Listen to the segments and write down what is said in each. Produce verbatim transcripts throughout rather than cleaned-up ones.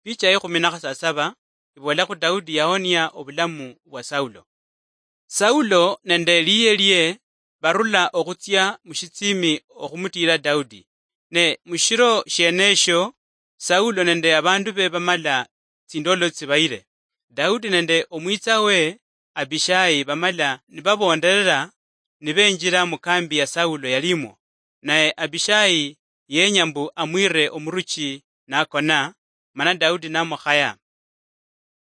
Picha ya ekhumi na khasasaba ibola khu Daudi yahonia obulamu bwa Saulo. Saulo nende liye lie barula okhutsia mushitsiimi okhumutiira Daudi. Ne mushiro shienesho, Saulo nende abandu be bamala tsindolo tsibayire. Daudi nende omwitsa we Abishai bamala nibabonderera nibenjira mukambi ya Saulo yalimwo. Naye Abishai yenya mbu amwire omuruchi nakona, mana Daudi namukhaya.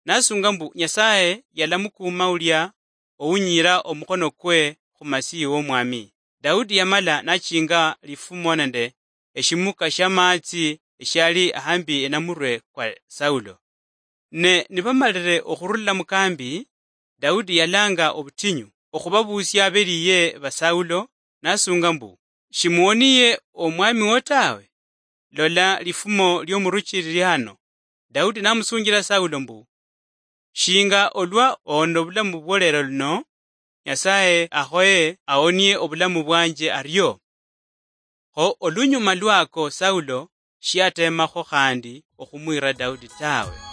Nasunga mbu Nyasaye yalamukuuma ulia owunyiira omukhono kwe khumasihi womwami. Daudi yamala nachinga lifumo nende eshimuka shiamatsi eshiali ahambi enamurwe kwa Saulo. Ne nibamalire okhurula mukambi, Daudi yalanga obutinyu okhubabuusia abeliye ba Saulo, nasunga mbu, "Shimuwoniye omwami wo tawe? Lola lifumo liomuruchi lili hano." Daudi namusunjila Saulo mbu, "Shinga olwa ohonera obulamu bwo lero luno, Nyasaye akhoye ahonie obulamu bwanje ario." Kho olunyuma lwako Saulo shiatemakho khandi okhumwira Daudi tawe.